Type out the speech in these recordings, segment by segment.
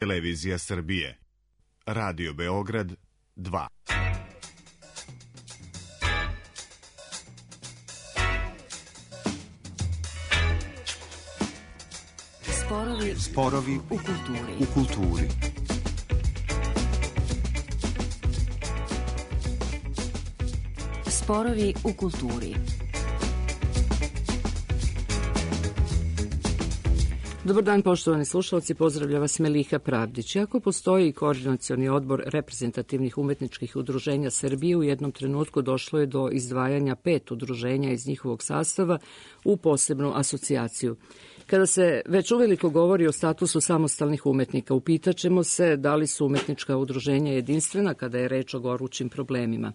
Televizija Srbije. Radio Beograd 2. Sporovi u kulturi. Sporovi u kulturi. Dobar dan, poštovani slušalci, pozdravlja vas Meliha Pravdić. Iako postoji koordinacioni odbor reprezentativnih umetničkih udruženja Srbije, u jednom trenutku došlo je do izdvajanja 5 udruženja iz njihovog sastava u posebnu asocijaciju. Kada se već uveliko govori o statusu samostalnih umetnika, upitaćemo se da li su umetnička udruženja jedinstvena kada je reč o gorućim problemima.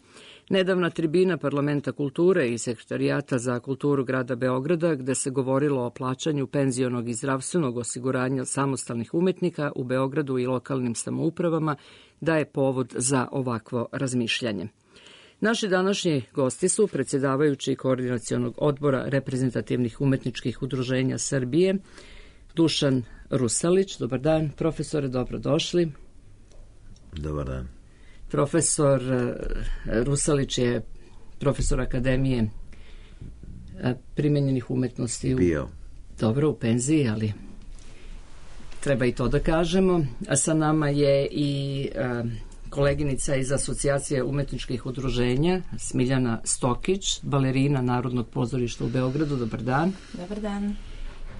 Nedavna tribina Parlamenta kulture i Sekretarijata za kulturu grada Beograda, gde se govorilo o plaćanju penzionog i zdravstvenog osiguranja samostalnih umetnika u Beogradu i lokalnim samoupravama, daje povod za ovakvo razmišljanje. Naši današnji gosti su predsjedavajući koordinacionog odbora reprezentativnih umetničkih udruženja Srbije, Dušan Rusalić. Dobar dan, profesore, dobrodošli. Dobar dan. Profesor Rusalić je profesor Akademije primenjenih umetnosti. Bio. Dobro, u penziji, ali treba i to da kažemo. A sa nama je i koleginica iz Asocijacije umetničkih udruženja, Smiljana Stokić, balerina Narodnog pozorišta u Beogradu. Dobar dan. Dobar dan.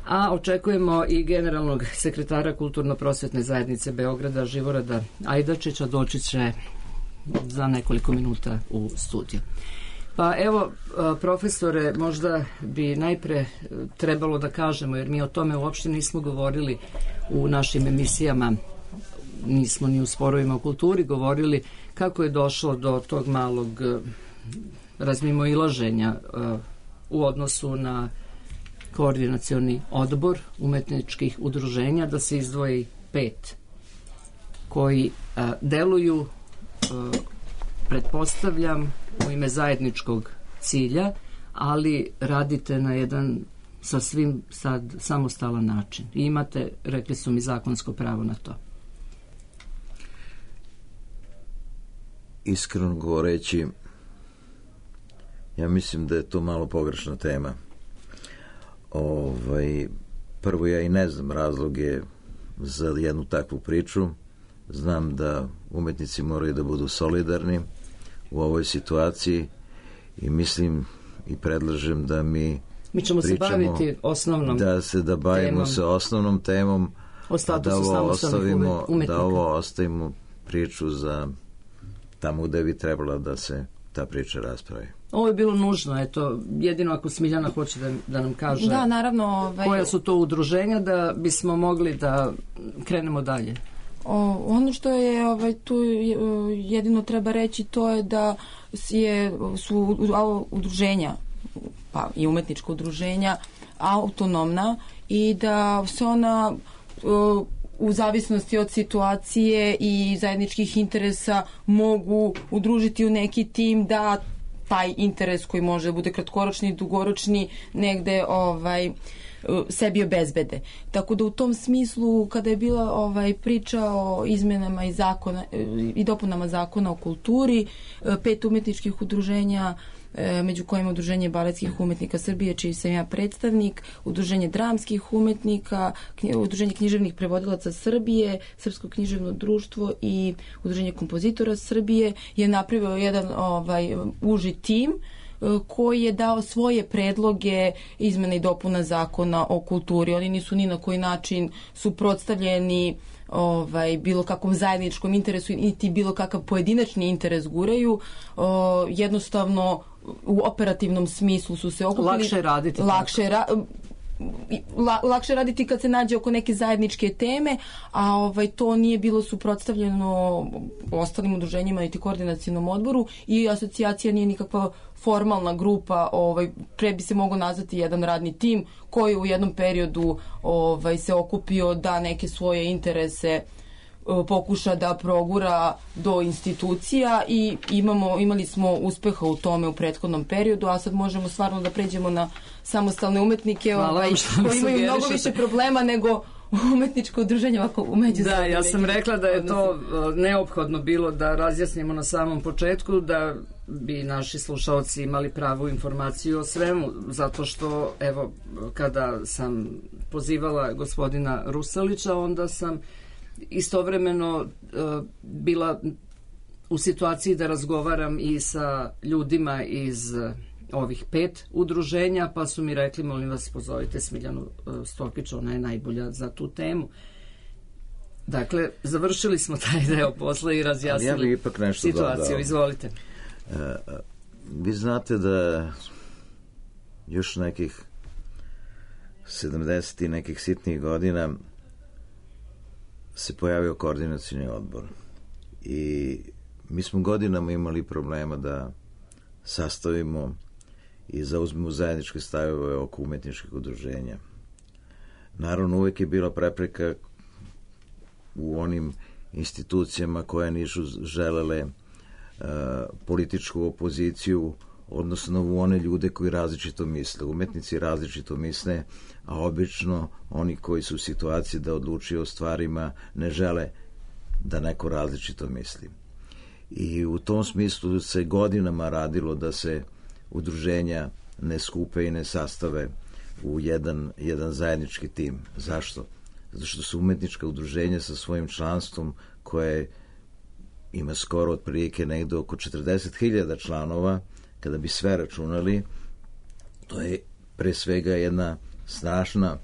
A očekujemo i generalnog sekretara Kulturno-prosvetne zajednice Beograda, Živorada Ajdačića, doći će za nekoliko minuta u studiju. Pa evo, profesore, možda bi najpre trebalo da kažemo, jer mi o tome uopšte nismo govorili u našim emisijama, nismo ni u sporovima u kulturi govorili, kako je došlo do tog malog razmimoilaženja u odnosu na koordinacioni odbor umetničkih udruženja, da se izdvoji 5 koji deluju, pretpostavljam, u ime zajedničkog cilja, ali radite na jedan sasvim sad samostalan način. I imate, rekli su mi, zakonsko pravo na to. Iskreno govoreći, ja mislim da je to malo pogrešna tema. Prvo, ja i ne znam razloge za jednu takvu priču. Znam da umetnici moraju da budu solidarni u ovoj situaciji i mislim i predlažem da mi ćemo pričamo, se baviti osnovnom da bavimo temom, se osnovnom temom, o statusu samostalnih umetnika. Da ovo ostavimo priču za tamo gde bi trebala da se ta priča raspravi. Ovo je bilo nužno, eto, jedino ako Smiljana hoće da nam kaže da, naravno, koja su to udruženja, da bismo mogli da krenemo dalje. Ono što je tu jedino treba reći, to je da su udruženja, pa i umetnička udruženja, autonomna i da se ona u zavisnosti od situacije i zajedničkih interesa mogu udružiti u neki tim da taj interes koji može da bude kratkoročni i dugoročni negde sebi obezbede. Tako da u tom smislu, kada je bila priča o izmenama i dopunama zakona o kulturi, 5 umetničkih udruženja, među kojima udruženje baletskih umetnika Srbije, čiji sam ja predstavnik, udruženje dramskih umetnika, udruženje književnih prevodilaca Srbije, Srpsko književno društvo i udruženje kompozitora Srbije je napravio jedan uži tim koji je dao svoje predloge izmena i dopuna zakona o kulturi. Oni nisu ni na koji način suprotstavljeni bilo kakvom zajedničkom interesu, niti bilo kakav pojedinačni interes guraju. Jednostavno u operativnom smislu su se okupili. Lakše raditi. Lakše raditi kad se nađe oko neke zajedničke teme, a to nije bilo suprotstavljeno ostalim udruženjima niti koordinacionom odboru i asocijacija nije nikakva formalna grupa, pre bi se mogao nazvati jedan radni tim koji u jednom periodu se okupio da neke svoje interese pokuša da progura do institucija i imali smo uspeha u tome u prethodnom periodu, a sad možemo stvarno da pređemo na samostalne umetnike koji imaju mnogo više problema nego umetničko udruženje ovako međusobno. Da, ja sam rekla da je to neophodno bilo da razjasnimo na samom početku, da bi naši slušaoci imali pravu informaciju o svemu, zato što, evo, kada sam pozivala gospodina Rusalića, onda sam istovremeno bila u situaciji da razgovaram i sa ljudima iz ovih 5 udruženja, pa su mi rekli, molim vas, pozovite Smiljanu Stokić, ona je najbolja za tu temu. Dakle, završili smo taj deo posla i razjasnili ipak nešto situaciju. dodao. Izvolite. Vi znate da još nekih 70 i nekih sitnih godina se pojavio koordinacioni odbor. I mi smo godinama imali problema da sastavimo i zauzmemo zajedničke stavove oko umetničkih udruženja. Naravno, uvek je bila prepreka u onim institucijama koje nisu želele političku opoziciju, odnosno u one ljude koji različito misle. Umetnici različito misle, a obično oni koji su u situaciji da odlučuju o stvarima ne žele da neko različito misli. I u tom smislu se godinama radilo da se udruženja ne skupe i ne sastave u jedan zajednički tim. Zašto? Zato što su umetnička udruženja sa svojim članstvom koje ima skoro otprilike negde oko 40.000 članova, kada bi sve računali, to je pre svega jedna snažna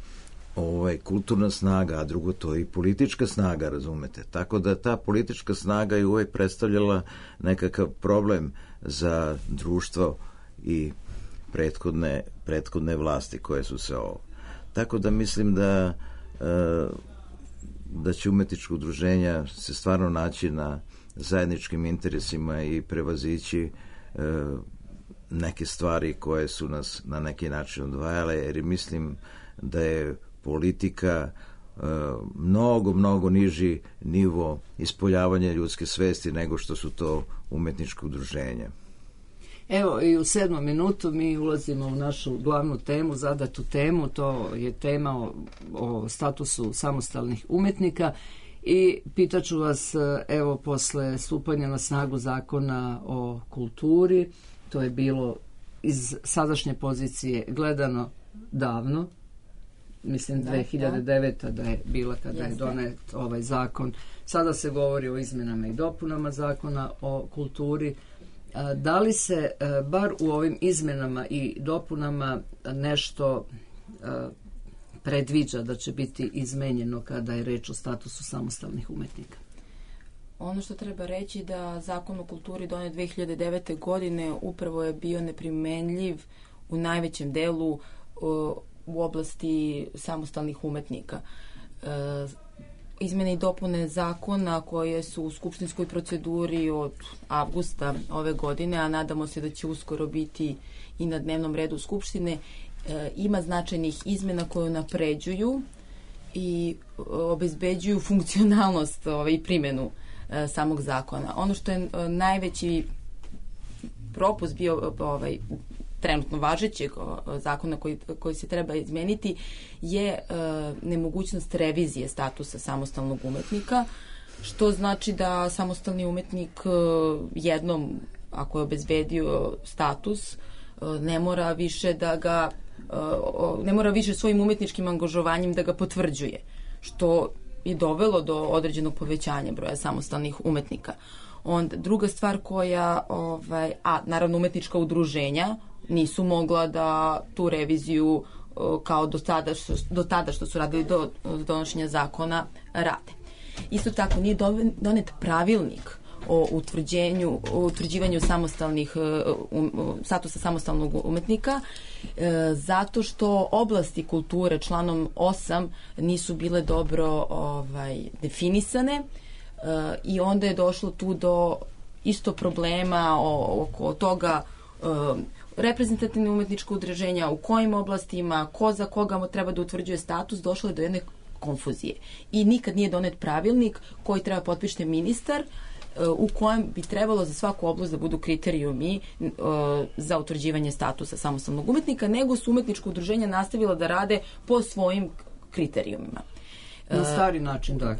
kulturna snaga, a drugo to je i politička snaga, razumete. Tako da ta politička snaga je uvek predstavljala nekakav problem za društvo i prethodne vlasti koje su se Tako da mislim da će umetnička udruženja se stvarno naći na zajedničkim interesima i prevazići neke stvari koje su nas na neki način odvajale, jer mislim da je politika mnogo niži nivo ispoljavanja ljudske svesti nego što su to umetničke udruženja. Evo, i u 7. minutu mi ulazimo u našu glavnu temu, zadatu temu, to je tema o statusu samostalnih umetnika i pitaću vas, evo, posle stupanja na snagu zakona o kulturi, to je bilo iz sadašnje pozicije gledano davno, mislim 2009. da je bila kada je donet ovaj zakon. Sada se govori o izmenama i dopunama zakona o kulturi. Da li se bar u ovim izmenama i dopunama nešto predviđa da će biti izmenjeno kada je reč o statusu samostalnih umetnika? Ono što treba reći da zakon o kulturi donet 2009. godine upravo je bio neprimenljiv u najvećem delu u oblasti samostalnih umetnika. Izmene i dopune zakona koje su u skupštinskoj proceduri od avgusta ove godine, a nadamo se da će uskoro biti i na dnevnom redu Skupštine, ima značajnih izmena koje napređuju i obezbeđuju funkcionalnost i primjenu samog zakona. Ono što je najveći propust bio trenutno važećeg zakona koji se treba izmeniti je nemogućnost revizije statusa samostalnog umetnika, što znači da samostalni umetnik jednom, ako je obezbedio status, ne mora više svojim umetničkim angažovanjem da ga potvrđuje, što je dovelo do određenog povećanja broja samostalnih umetnika. Onda druga stvar koja, naravno umetnička udruženja nisu mogla da tu reviziju kao do tada što su radili do donošenja zakona rade. Isto tako nije donet pravilnik o utvrđivanju samostalnih statusa samostalnog umetnika zato što oblasti kulture članom 8 nisu bile dobro definisane i onda je došlo tu do isto problema oko toga reprezentativne umetničke udruženja, u kojim oblastima, ko za koga treba da utvrđuje status, došlo je do jedne konfuzije. I nikad nije donet pravilnik koji treba potpišiti ministar u kojem bi trebalo za svaku oblast da budu kriterijumi za utvrđivanje statusa samostalnog umetnika, nego su umetnička udruženja nastavila da rade po svojim kriterijumima. Na stari način, da.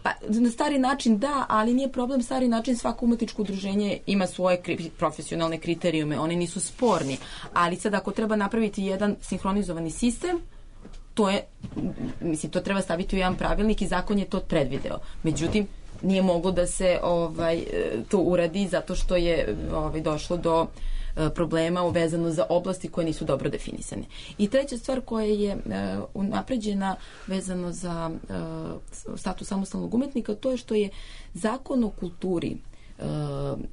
Pa, na stari način da, ali nije problem stari način, svako umetničko udruženje ima svoje profesionalne kriterijume, oni nisu sporni, ali sad ako treba napraviti jedan sinhronizovani sistem, to je, mislim, to treba staviti u jedan pravilnik i zakon je to predvideo. Međutim, nije moglo da se to uradi zato što je došlo do problema vezano za oblasti koje nisu dobro definisane. I treća stvar koja je unapređena vezano za status samostalnog umetnika, to je što je zakon o kulturi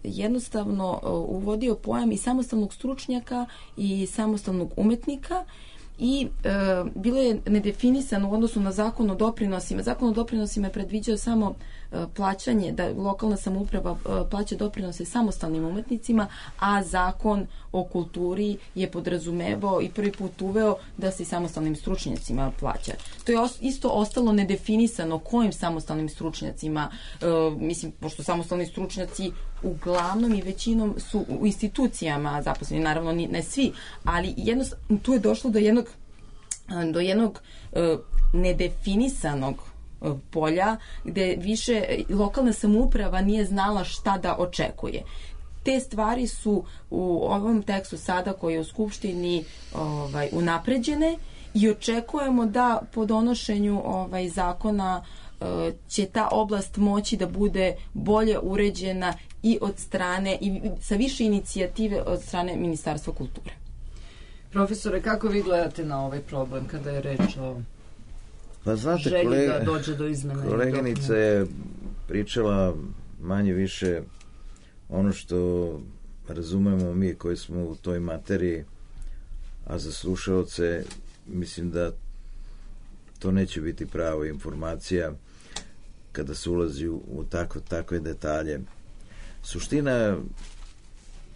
jednostavno uvodio pojam i samostalnog stručnjaka i samostalnog umetnika i bilo je nedefinisano u odnosu na zakon o doprinosima. Zakon o doprinosima je predviđao samo plaćanje, da lokalna samouprava plaća doprinose samostalnim umetnicima, a zakon o kulturi je podrazumevao i prvi put uveo da se i samostalnim stručnjacima plaća. To je isto ostalo nedefinisano kojim samostalnim stručnjacima, mislim, pošto samostalni stručnjaci uglavnom i većinom su u institucijama zaposleni, naravno ne svi, ali jednostavno tu je došlo do jednog nedefinisanog polja gde više lokalna samouprava nije znala šta da očekuje. Te stvari su u ovom tekstu sada koji je u Skupštini unapređene i očekujemo da po donošenju zakona će ta oblast moći da bude bolje uređena i od strane i sa više inicijative od strane Ministarstva kulture. Profesore, kako vi gledate na ovaj problem kada je reč o želji da dođe do izmene? Koleginica je pričala manje više ono što razumemo mi koji smo u toj materiji, a za slušaoce mislim da to neće biti prava informacija kada se ulazi u takve detalje. Suština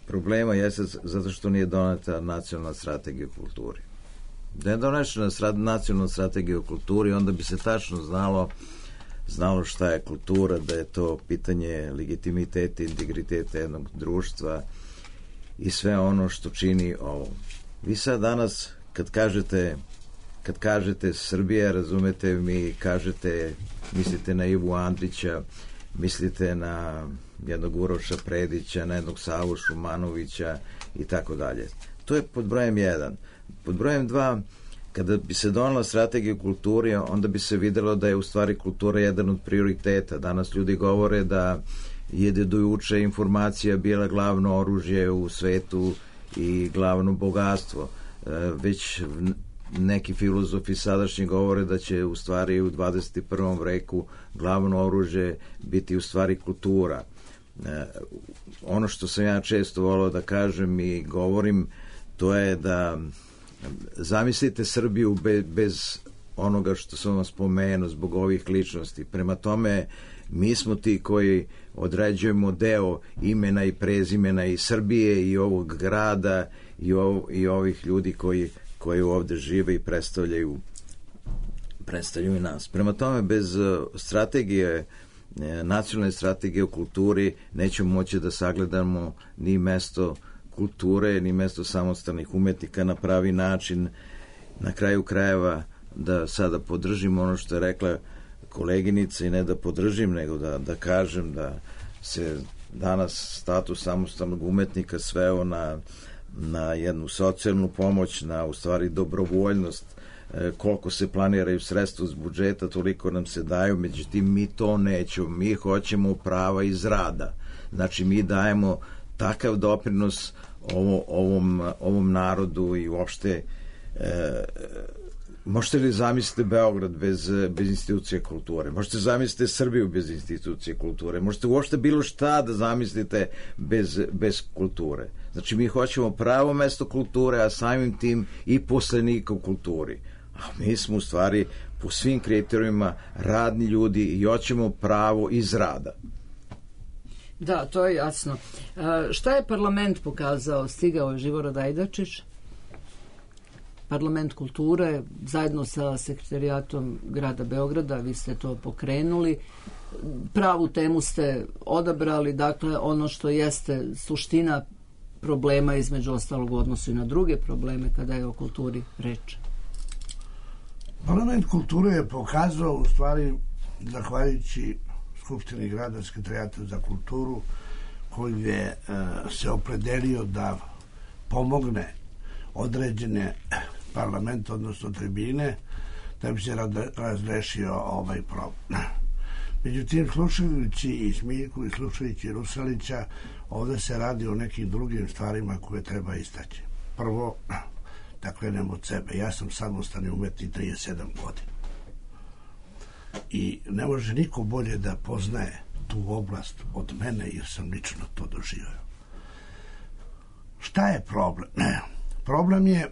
problema jeste zato što nije doneta nacionalna strategija o kulturi. Da je donešena nacionalna strategija o kulturi, onda bi se tačno znalo šta je kultura, da je to pitanje legitimiteta i integriteta jednog društva i sve ono što čini ovo. Vi sad danas kad kažete Srbija, razumete, mi kažete, mislite na Ivu Andrića, mislite na jednog Uroša Predića, na jednog Savu Šumanovića i tako dalje. To je pod brojem 1. Pod brojem 2, kada bi se donela strategija kulture, onda bi se videlo da je u stvari kultura jedan od prioriteta. Danas ljudi govore da je do juče informacija bila glavno oružje u svetu i glavno bogatstvo. Već neki filozofi sadašnji govore da će u stvari u 21. veku glavno oružje biti u stvari kultura. Ono što sam ja često volao da kažem i govorim, to je da zamislite Srbiju bez onoga što sam vam spomenuo zbog ovih ličnosti. Prema tome, mi smo ti koji određujemo deo imena i prezimena i Srbije i ovog grada i ovih ljudi koji ovde žive i predstavljaju nas. Prema tome, bez strategije, nacionalne strategije o kulturi nećemo moći da sagledamo ni mesto kulture, ni mesto samostalnih umetnika na pravi način. Na kraju krajeva da sada podržim ono što je rekla koleginica i ne da podržim, nego da kažem da se danas status samostalnog umetnika sveo na jednu socijalnu pomoć, na u stvari dobrovoljnost, koliko se planiraju sredstva iz budžeta, toliko nam se daju, međutim mi to nećemo, mi hoćemo prava iz rada. Znači mi dajemo takav doprinos ovom narodu i uopšte možete li zamisliti Beograd bez institucije kulture? Možete zamisliti Srbiju bez institucije kulture? Možete uopšte bilo šta da zamislite bez kulture? Znači mi hoćemo pravo mesto kulture, a samim tim i poslenika u kulturi. A mi smo u stvari po svim kriterijima radni ljudi i hoćemo pravo iz rada. Da, to je jasno. Šta je parlament pokazao? Stigao je Živorad Ajdačić, parlament kulture, zajedno sa sekretarijatom grada Beograda, vi ste to pokrenuli. Pravu temu ste odabrali, dakle ono što jeste suština problema, između ostalog u odnosu i na druge probleme kada je o kulturi reč. Parlament kulture je pokazao, u stvari, zahvaljujući Skupštini grada, Sekretarijatu za kulturu, koji je se opredelio da pomogne određene parlament, odnosno tribine, da bi se razrešio ovaj problem. Međutim, slušajući i Smiljku i slušajući Rusalića, ovde se radi o nekim drugim stvarima koje treba istaći. Prvo, da krenem od sebe. Ja sam samostalni umetnik 37 godina. I ne može niko bolje da poznaje tu oblast od mene, jer sam lično to doživio. Šta je problem? Problem je,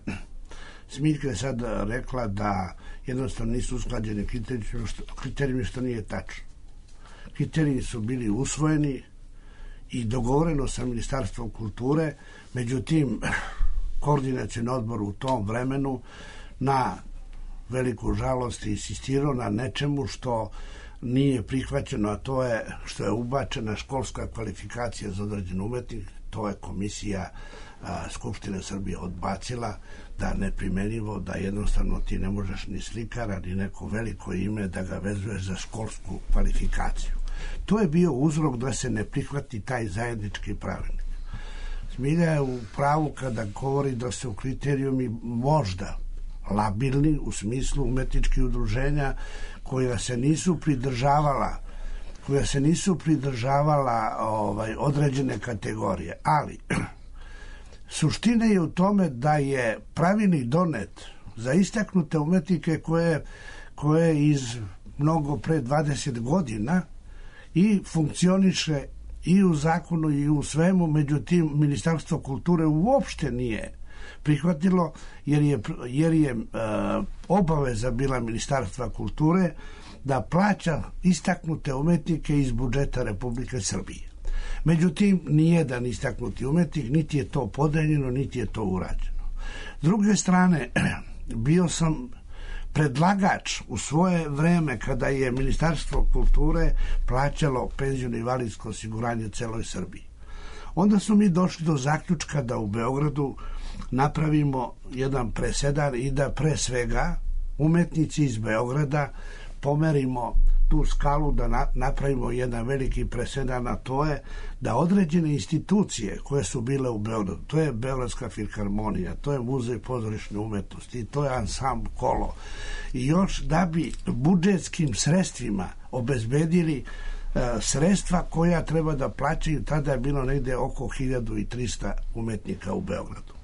Smiljka je sad rekla da jednostavno nisu usklađeni kriterijumi, što nije tačno. Kriterijumi su bili usvojeni i dogovoreno sa Ministarstvom kulture, međutim, koordinacioni odbor u tom vremenu na veliku žalost insistirao na nečemu što nije prihvaćeno, a to je što je ubačena školska kvalifikacija za određen umetnik. To je komisija Skupštine Srbije odbacila, da neprimjenjivo, da jednostavno ti ne možeš ni slikara, ni neko veliko ime da ga vezuješ za školsku kvalifikaciju. To je bio uzrok da se ne prihvati taj zajednički pravilnik. Smilja je u pravu kada govori da se u kriterijumi možda labilni u smislu umetničkih udruženja koja se nisu pridržavala određene kategorije, ali suština je u tome da je pravilnik donet za istaknute umetnike koje iz mnogo pre 20 godina i funkcioniše i u zakonu i u svemu, međutim Ministarstvo kulture uopšte nije prihvatilo, jer je obaveza bila Ministarstva kulture da plaća istaknute umetnike iz budžeta Republike Srbije. Međutim, nijedan istaknuti umetnik, niti je to podeljeno, niti je to urađeno. S druge strane, bio sam predlagač u svoje vreme kada je Ministarstvo kulture plaćalo penzijsko i invalidsko osiguranje celoj Srbiji. Onda smo mi došli do zaključka da u Beogradu napravimo jedan presedan i da pre svega umetnici iz Beograda pomerimo tu skalu, da napravimo jedan veliki presedan, a to je da određene institucije koje su bile u Beogradu, to je Beogradska filharmonija, to je Muzej pozorišne umetnosti, to je Ansambl Kolo, i još da bi budžetskim sredstvima obezbedili sredstva koja treba da plaćaju, tada je bilo negde oko 1300 umetnika u Beogradu.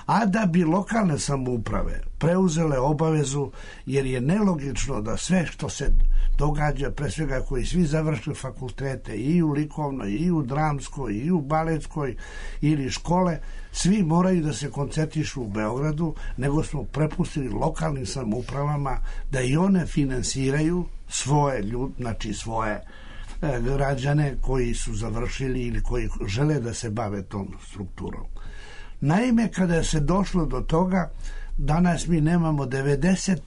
A da bi lokalne samouprave preuzele obavezu, jer je nelogično da sve što se događa, pre svega koji svi završili fakultete i u likovnoj, i u dramskoj, i u baletskoj ili škole, svi moraju da se koncentrišu u Beogradu, nego smo prepustili lokalnim samoupravama da i one finansiraju svoje svoje građane koji su završili ili koji žele da se bave tom strukturom. Naime, kada se došlo do toga, danas mi nemamo 90%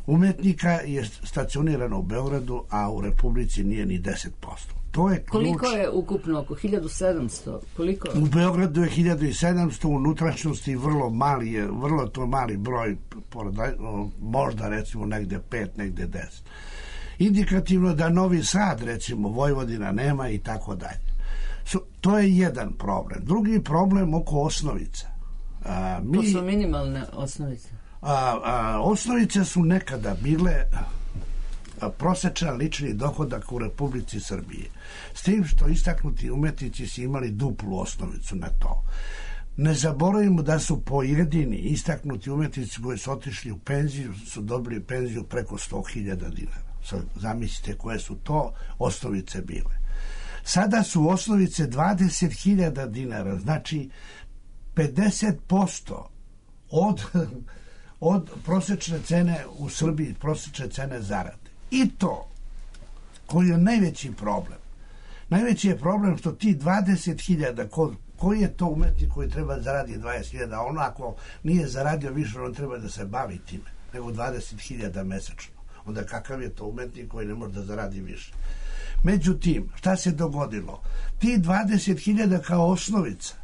umetnika je stacionirano u Beogradu, a u Republici nije ni 10%. To je ključ. Koliko je ukupno? Oko 1700? Koliko? U Beogradu je 1700, u unutrašnjosti vrlo to mali broj, možda recimo negde 5, negde 10. Indikativno da Novi Sad, recimo Vojvodina nema i tako dalje. To je jedan problem. Drugi problem oko osnovica. To su minimalne osnovice. Osnovice su nekada bile prosečan lični dohodak u Republici Srbije. S tim što istaknuti umetnici su imali duplu osnovicu na to. Ne zaboravimo da su pojedini istaknuti umetnici koji su otišli u penziju, su dobili penziju preko 100.000 dinara. Sad zamislite koje su to osnovice bile. Sada su osnovice 20.000 dinara, znači 50% od prosečne cene u Srbiji, prosečne cene zarade. I to, koji je najveći problem. Najveći je problem što ti 20.000, koji je to umetnik koji treba zaradi 20.000, ono ako nije zaradio više, on treba da se bavi time, nego 20.000 mesečno. Onda kakav je to umetnik koji ne može da zaradi više? Međutim, šta se dogodilo? Ti 20.000 kao osnovica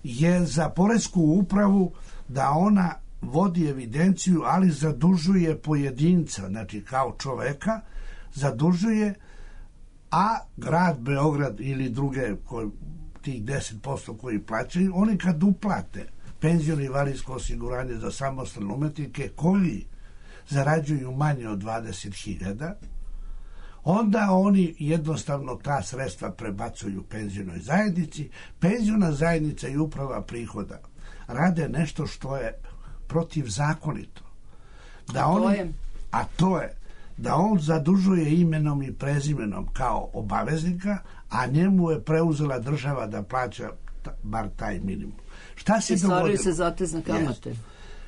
je za poresku upravu da ona vodi evidenciju, ali zadužuje pojedinca, znači kao čoveka, zadužuje, a grad Beograd ili druge tih 10% koji plaćaju, oni kad uplate penziono i invalidsko osiguranje za samostalne umetnike koji zarađuju manje od 20.000, onda oni jednostavno ta sredstva prebacuju penzionoj zajednici. Penziona zajednica i uprava prihoda rade nešto što je protivzakonito. A to je da on zadužuje imenom i prezimenom kao obaveznika, a njemu je preuzela država da plaća bar taj minimum. Šta se dogodilo? Stvaraju se zatezne kamate. Yes.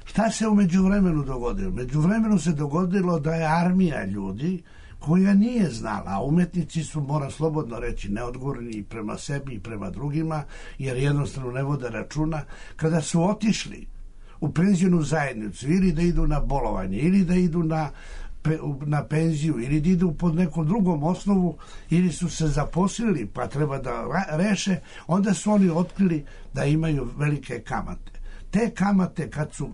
Šta se u međuvremenu dogodilo? U međuvremenu se dogodilo da je armija ljudi koja nije znala, a umetnici su, moram slobodno reći, neodgovorni i prema sebi i prema drugima, jer jednostavno ne vode računa, kada su otišli u penzionu zajednicu ili da idu na bolovanje, ili da idu na penziju, ili da idu pod nekom drugom osnovu, ili su se zaposlili pa treba da reše, onda su oni otkrili da imaju velike kamate. Te kamate kad su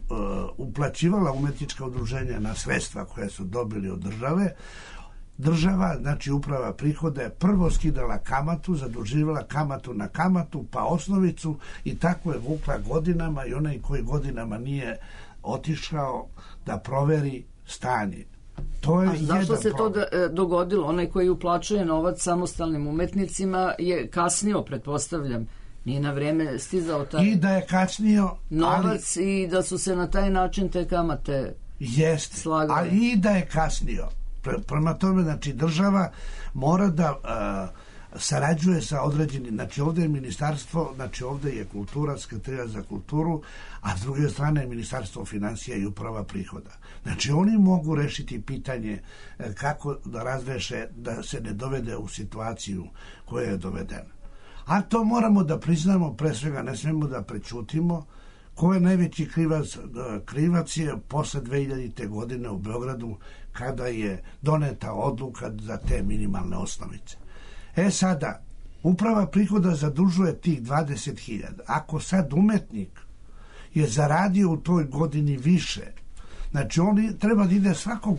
uplaćivala umetnička udruženja na sredstva koje su dobili od država, znači uprava prihoda je prvo skidala kamatu, zaduživala kamatu na kamatu, pa osnovicu i tako je vukla godinama i onaj koji godinama nije otišao da proveri stanje. To je zašto se to dogodilo? Onaj koji uplaćuje novac samostalnim umetnicima je kasnio, pretpostavljam. Nije na vreme stizao taj i da je kasnio novac, i da su se na taj način te kamate slagale. Ali i da je kasnio. Prema tome, znači, država mora da sarađuje sa određenim, znači ovdje je ministarstvo, znači ovdje je kultura, Sekretarija za kulturu, a s druge strane je ministarstvo financija i uprava prihoda. Znači oni mogu rešiti pitanje kako da razreše da se ne dovede u situaciju koja je dovedena. A to moramo da priznamo, pre svega ne smemo da prećutimo. Ko je najveći krivac? Krivac je posle 2000. godine u Beogradu kada je doneta odluka za te minimalne osnovice. Sada, uprava prihoda zadužuje tih 20.000. Ako sad umetnik je zaradio u toj godini više, znači on treba da ide svakog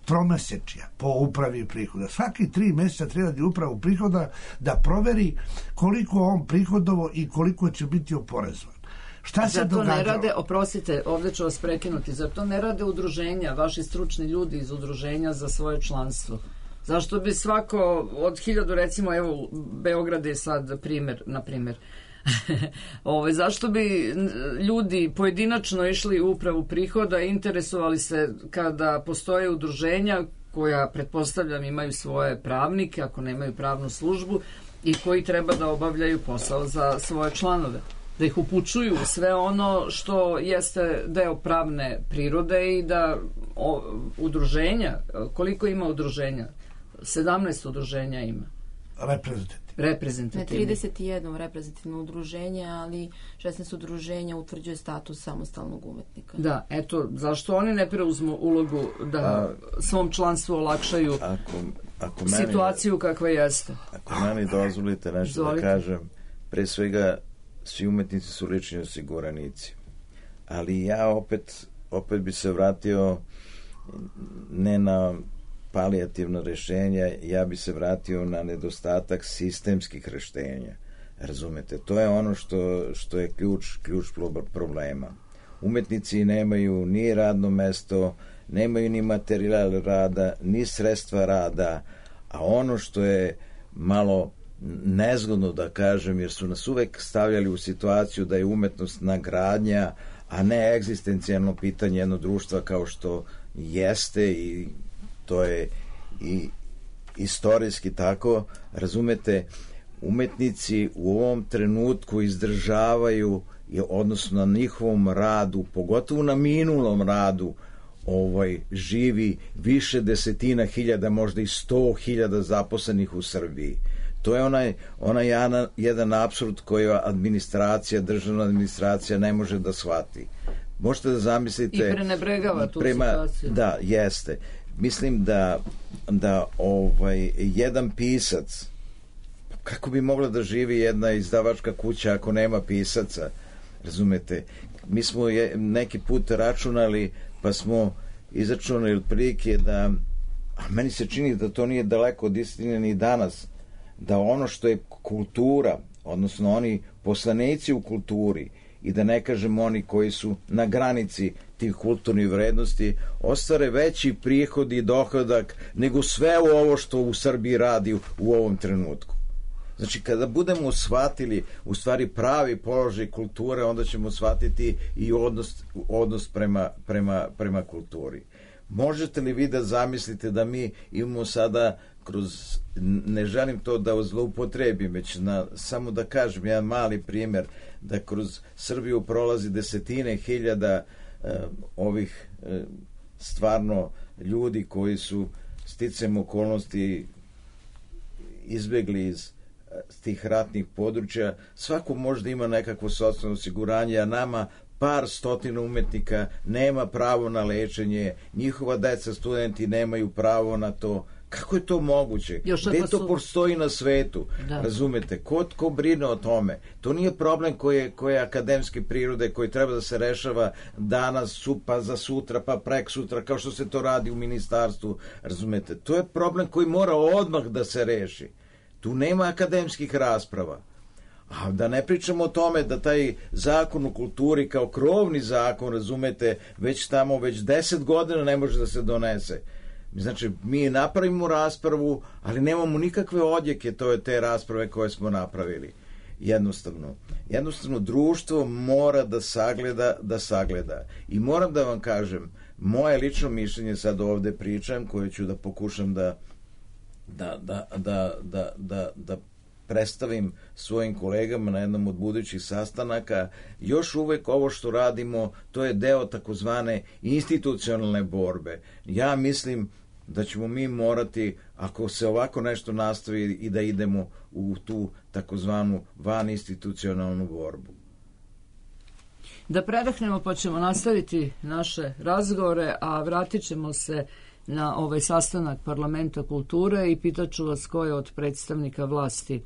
tromesečja po upravi prihoda. Svaki 3 meseca treba da upravu prihoda da proveri koliko on prihodovo i koliko će biti oporezovan. Šta se događa? Ne rade, oprostite, ovdje ću vas prekinuti, zar to ne rade udruženja, vaši stručni ljudi iz udruženja za svoje članstvo? Zašto bi svako od 1000, recimo, evo, Beograd je sad primer, na primer, zašto bi ljudi pojedinačno išli u upravu prihoda i interesovali se kada postoje udruženja koja, pretpostavljam, imaju svoje pravnike, ako nemaju pravnu službu, i koji treba da obavljaju posao za svoje članove, da ih upućuju sve ono što jeste deo pravne prirode i da udruženja, koliko ima udruženja? 17 udruženja ima. Reprezentativno. 31 reprezentativno udruženje, ali 16 udruženja utvrđuje status samostalnog umetnika. Da, eto, zašto oni ne preuzmu ulogu da svom članstvu olakšaju situaciju kakva jeste? Ako meni dozvolite nešto da kažem, pre svega svi umetnici su lični osiguranici. Ali ja opet bi se vratio ne na palijativno rešenje, ja bi se vratio na nedostatak sistemskih rešenja. Razumete? To je ono što je ključ problema. Umetnici nemaju ni radno mesto, nemaju ni materijal rada, ni sredstva rada, a ono što je malo nezgodno da kažem, jer su nas uvek stavljali u situaciju da je umetnost nagradnja, a ne egzistencijalno pitanje jednog društva kao što jeste, i to je i istorijski tako. Razumete, umetnici u ovom trenutku izdržavaju, odnosno na njihovom radu, pogotovo na minulom radu, živi više desetina hiljada, možda i 100.000 zaposlenih u Srbiji. To je onaj jedan apsurd koji državna administracija ne može da shvati. Možete da zamislite... I prenebregava tu situaciju. Da, jeste. Mislim da jedan pisac, kako bi mogla da živi jedna izdavačka kuća ako nema pisaca? Razumete? mi smo neki put računali, pa smo izračunali otprilike da, a meni se čini da to nije daleko od istine ni danas, da ono što je kultura, odnosno oni poslanici u kulturi, i da ne kažem oni koji su na granici tih kulturnih vrednosti, ostvare veći prihod i dohodak nego sve ovo što u Srbiji radi u ovom trenutku. Znači, kada budemo shvatili u stvari pravi položaj kulture, onda ćemo shvatiti i odnos prema kulturi. Možete li vi da zamislite da mi imamo sada kroz, ne želim to da zloupotrebim, već samo da kažem jedan mali primjer, da kroz Srbiju prolazi desetine hiljada ovih stvarno ljudi koji su sticajem okolnosti izbegli iz tih ratnih područja. Svako možda ima nekakvo socijalno osiguranje, a nama par stotina umetnika nema pravo na lečenje, njihova deca, studenti nemaju pravo na to. Kako je to moguće? Gde to postoji na svetu? Da. Razumete? Ko brine o tome? To nije problem koji je akademske prirode, koji treba da se rešava danas, pa za sutra, pa prek sutra, kao što se to radi u ministarstvu. Razumete? To je problem koji mora odmah da se reši. Tu nema akademskih rasprava. A da ne pričamo o tome da taj zakon u kulturi kao krovni zakon, razumete, već 10 godina ne može da se donese. Znači, mi napravimo raspravu, ali nemamo nikakve odjeke te rasprave koje smo napravili. Jednostavno, društvo mora da sagleda. I moram da vam kažem, moje lično mišljenje, sad ovde pričam, koje ću da pokušam da predstavim svojim kolegama na jednom od budućih sastanaka, još uvek ovo što radimo, to je deo takozvane institucionalne borbe. Ja mislim da ćemo mi morati, ako se ovako nešto nastavi, i da idemo u tu takozvanu vaninstitucionalnu borbu. Da predahnemo, pa ćemo nastaviti naše razgovore, a vratit ćemo se na ovaj sastanak Parlamenta kulture i pitaću vas ko je od predstavnika vlasti,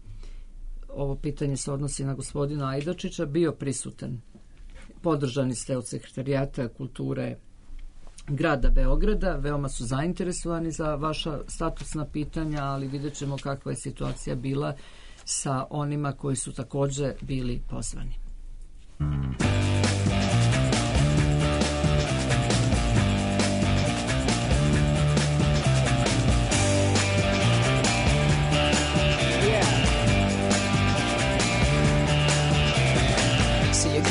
ovo pitanje se odnosi na gospodina Ajdačića, bio prisutan. Podržani ste od Sekretarijata kulture grada Beograda, veoma su zainteresovani za vaša statusna pitanja, ali vidjet ćemo kakva je situacija bila sa onima koji su takođe bili pozvani.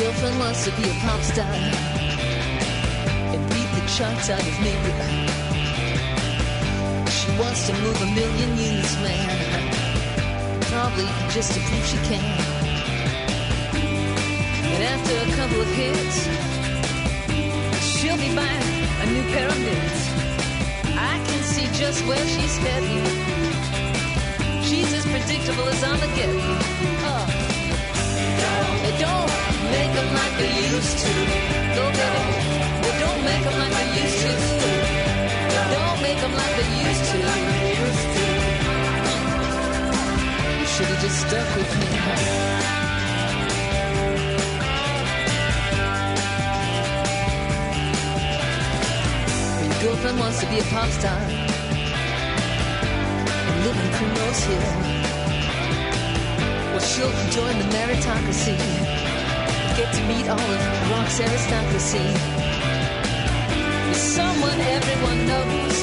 Girlfriend wants to be a pop star and beat the charts out of me. She wants to move 1 million units, man, probably just to prove she can. And after a couple of hits, she'll be buying a new pair of mitts. I can see just where she's heading. She's as predictable as Armageddon. Oh. They don't make them like they used to. No, baby, they don't make them like they used to. Don't make them like they used to. You should have just stuck with me. Your girlfriend wants to be a pop star and live in Primrose Hill. Well, she'll join the meritocracy, get to meet all of rock's aristocracy. With someone everyone knows,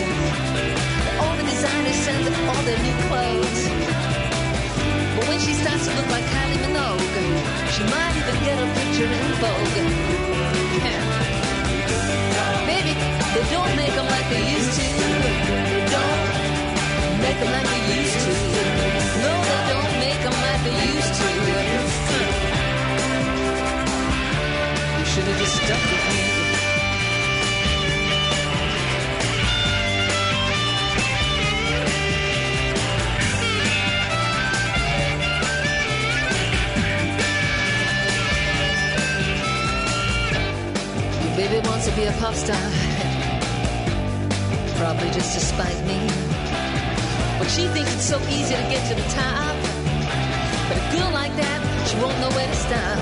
all the designers send all their new clothes. But when she starts to look like Kylie Minogue, she might even get a picture in Vogue. Yeah. Baby, they don't make them like they used to. They don't make them like they used to. No, they don't make them like they used to. You should have just stuck with me. Your baby wants to be a pop star, probably just to spite me. But she thinks it's so easy to get to the top. But a girl like that, she won't know where to stop.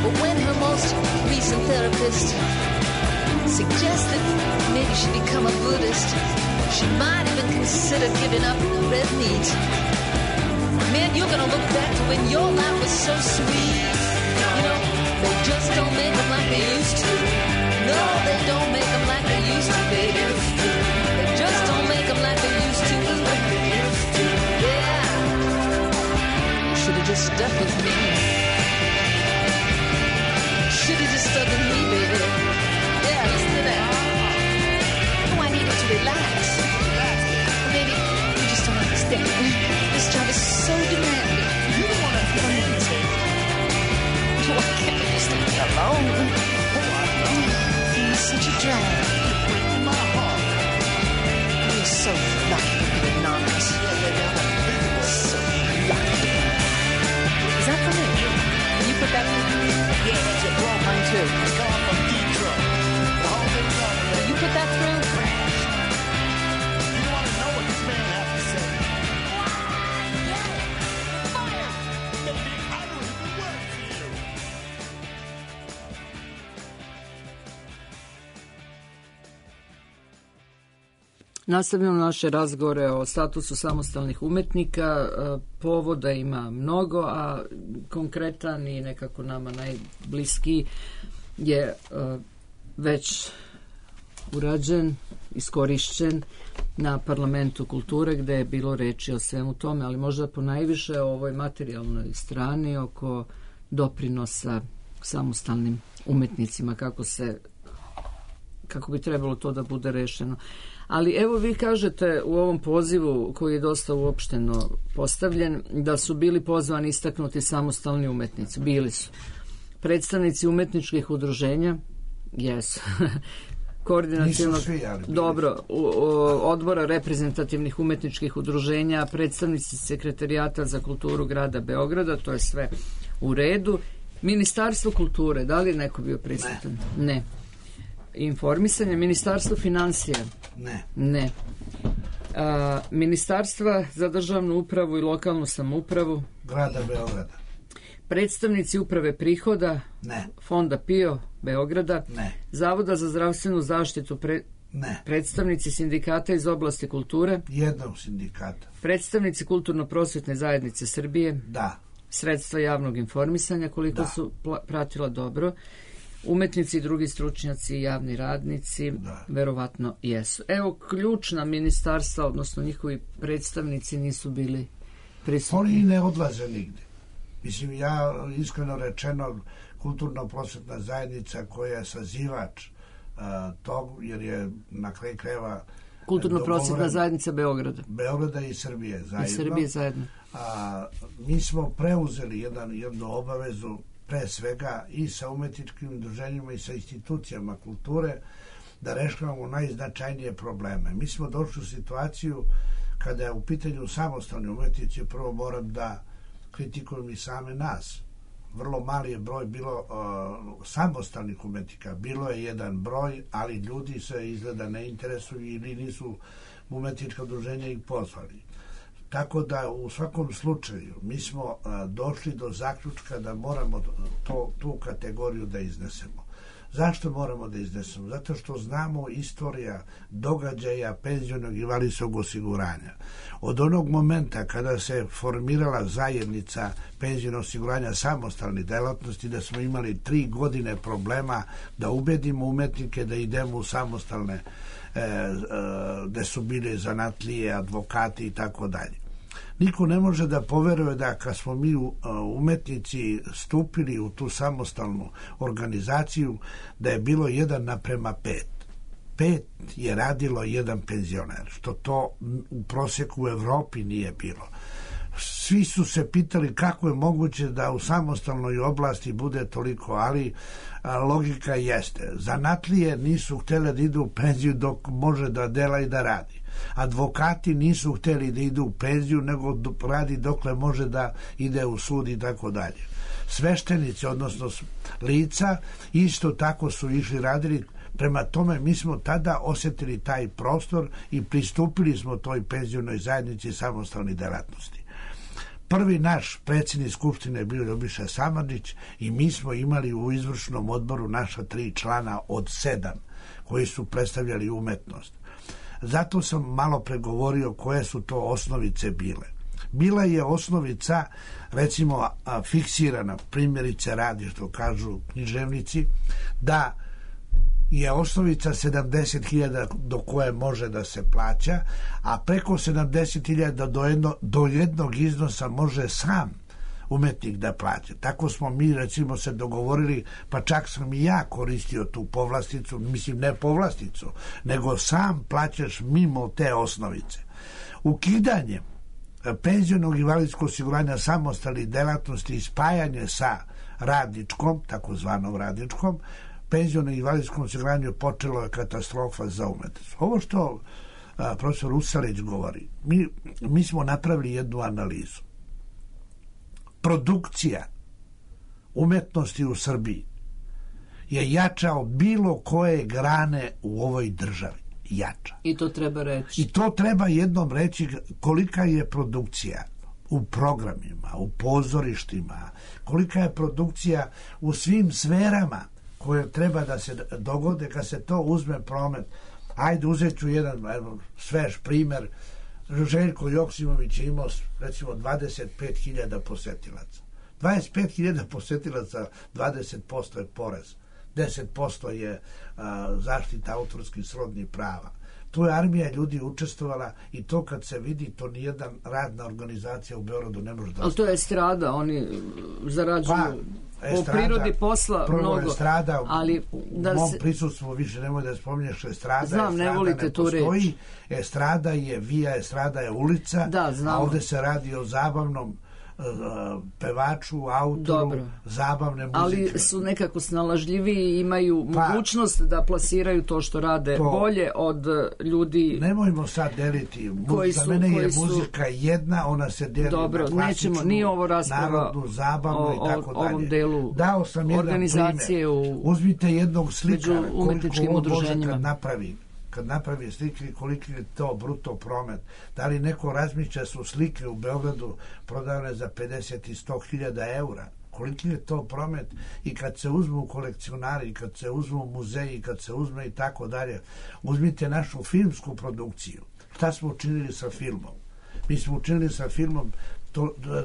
But when her most recent therapist suggested maybe she become a Buddhist, she might even consider giving up red meat. Man, you're gonna look back to when your life was so sweet. You know, they just don't make them like they used to. No, they don't make them like they used to, baby. They just don't make them like they used to. Yeah. You should have just stuck with me. Should have just stuck with me, baby. Yeah, listen to that. Oh, I needed to relax. Baby, you just don't understand. This job is so demanding. You don't want to hesitate. Oh, I can't just leave me alone. You're such a drag. Breaking my heart. You're so lucky to be anonymous. So lucky. Is that for me? Can you put that through? Yeah, that's your bro. Mine too. It's coming from Detroit. The whole thing's on. Will you put that through? You want to know what this man has to say? Fire! Maybe I don't even work for you. Nastavljamo naše razgovore o statusu samostalnih umetnika. Povoda ima mnogo, a konkretan i nekako nama najbliskiji je već urađen, iskorišćen na Parlamentu kulture, gde je bilo reči o svemu tome, ali možda ponajviše o ovoj materijalnoj strani oko doprinosa samostalnim umetnicima, kako bi trebalo to da bude rešeno. Ali evo vi kažete u ovom pozivu koji je dosta uopšteno postavljen da su bili pozvani istaknuti samostalni umetnici. Bili su predstavnici umetničkih udruženja, jesu, koordinacionog dobro, odbora reprezentativnih umetničkih udruženja, predstavnici sekretarijata za kulturu grada Beograda, to je sve u redu. Ministarstvo kulture, da li je neko bio prisutan? Ne. Informisanje, Ministarstvo finansija? Ne. Ministarstva za državnu upravu i lokalnu samoupravu? Grada Beograda. Predstavnici uprave prihoda? Ne. Fonda PIO Beograda? Ne. Zavoda za zdravstvenu zaštitu? Ne. Predstavnici sindikata iz oblasti kulture? Jednog sindikata. Predstavnici kulturno-prosvetne zajednice Srbije? Da. Sredstva javnog informisanja, koliko su pratila dobro? Umetnici i drugi stručnjaci i javni radnici, verovatno jesu. Evo, ključna ministarstva, odnosno njihovi predstavnici nisu bili prisutni. Oni ne odlaze nigde. Mislim, ja iskreno rečeno, kulturno-prosvetna zajednica koja je sazivač tog, jer je na kraju krajeva kulturno-prosvetna zajednica Beograda i Srbije zajedno. I Srbije zajedno. Mi smo preuzeli jednu obavezu pre svega i sa umetničkim udruženjima i sa institucijama kulture da rešavamo najznačajnije probleme. Mi smo došli u situaciju kada je u pitanju samostalni umetnici, prvo moram da kritikujem i same nas. Vrlo mali je broj bilo samostalnih umetnika. Bilo je jedan broj, ali ljudi se izgleda ne interesuju ili nisu umetnička udruženja ih pozvali. Tako da u svakom slučaju mi smo došli do zaključka da moramo tu kategoriju da iznesemo. Zašto moramo da iznesemo? Zato što znamo istorija događaja penzionog i invalidskog osiguranja. Od onog momenta kada se formirala zajednica penzionog osiguranja samostalnih delatnosti, da smo imali 3 godine problema da ubedimo umetnike da idemo u samostalne gde su bili zanatlije, advokati i tako dalje. Niko ne može da poveruje da kad smo mi umetnici stupili u tu samostalnu organizaciju da je bilo 1:5. 5 je radilo jedan penzioner, što to u proseku u Evropi nije bilo. Svi su se pitali kako je moguće da u samostalnoj oblasti bude toliko, ali logika jeste. Zanatlije nisu htjeli da idu u penziju dok može da dela i da radi. Advokati nisu htjeli da idu u penziju, nego radi dokle može da ide u sud i tako dalje. Sveštenici, odnosno lica, isto tako su išli radili. Prema tome, mi smo tada osjetili taj prostor i pristupili smo toj penzionoj zajednici samostalnih delatnosti. Prvi naš predsjednik Skupštine je bio Ljubiša Samardžić i mi smo imali u izvršnom odboru naša 3 člana od 7 koji su predstavljali umetnost. Zato sam malo pregovorio koje su to osnovice bile. Bila je osnovica, recimo, fiksirana, primjerice radi, što kažu književnici, da je osnovica 70.000 do koje može da se plaća, a preko 70.000 do jednog iznosa može sam umetnik da plaća. Tako smo mi, recimo, se dogovorili, pa čak sam i ja koristio tu povlasticu, mislim ne povlasticu, nego sam plaćaš mimo te osnovice. Ukidanje penzionog i invalidskog osiguranja samostalnih delatnosti i spajanje sa radničkom, takozvanom radničkom, penzionom i invalidskom osiguranju počelo je katastrofa za umetnost. Ovo što profesor Usalić govori, mi smo napravili jednu analizu. Produkcija umetnosti u Srbiji je jača od bilo koje grane u ovoj državi. Jača. I to treba reći. I to treba jednom reći kolika je produkcija u programima, u pozorištima, kolika je produkcija u svim sferama koje treba da se dogode kad se to uzme promet. Ajde, uzet ću jedan svež primer. Željko Joksimović je imao recimo 25.000 posetilaca. 25.000 posetilaca, 20% je porez. 10% je zaštita autorskih srodnih prava. Tu je armija ljudi učestvovala i to kad se vidi, to nijedan radna organizacija u Beogradu ne može da... Ali to je estrada, oni zarađuju po prirodi posla mnogo. Estrada, ali da u mom prisustvu više nemoj da spominješ estrada. Znam, estrada ne volite tu reč. Estrada je via, estrada je ulica, da, a ovde se radi o zabavnom pevaču, autoru, dobro, zabavne muzike. Ali su nekako snalažljiviji i imaju mogućnost da plasiraju to što rade bolje od ljudi. Nemojmo sad deliti. Za mene je muzika jedna, ona se deli na klasičnu, nije ovo rasprava narodnu, zabavnu i tako dalje. Ovom delu dao sam jedan primjer. Uzmite jednog slikara, koliko može kad napravi slike, koliki je to bruto promet. Da li neko razmišlja su slike u Beogradu prodavane za 50 i 100.000 eura? Koliki je to promet? I kad se uzmu kolekcionari, kad se uzmu muzeji, kad se uzme i tako dalje. Uzmite našu filmsku produkciju. Šta smo učinili sa filmom? Mi smo učinili sa filmom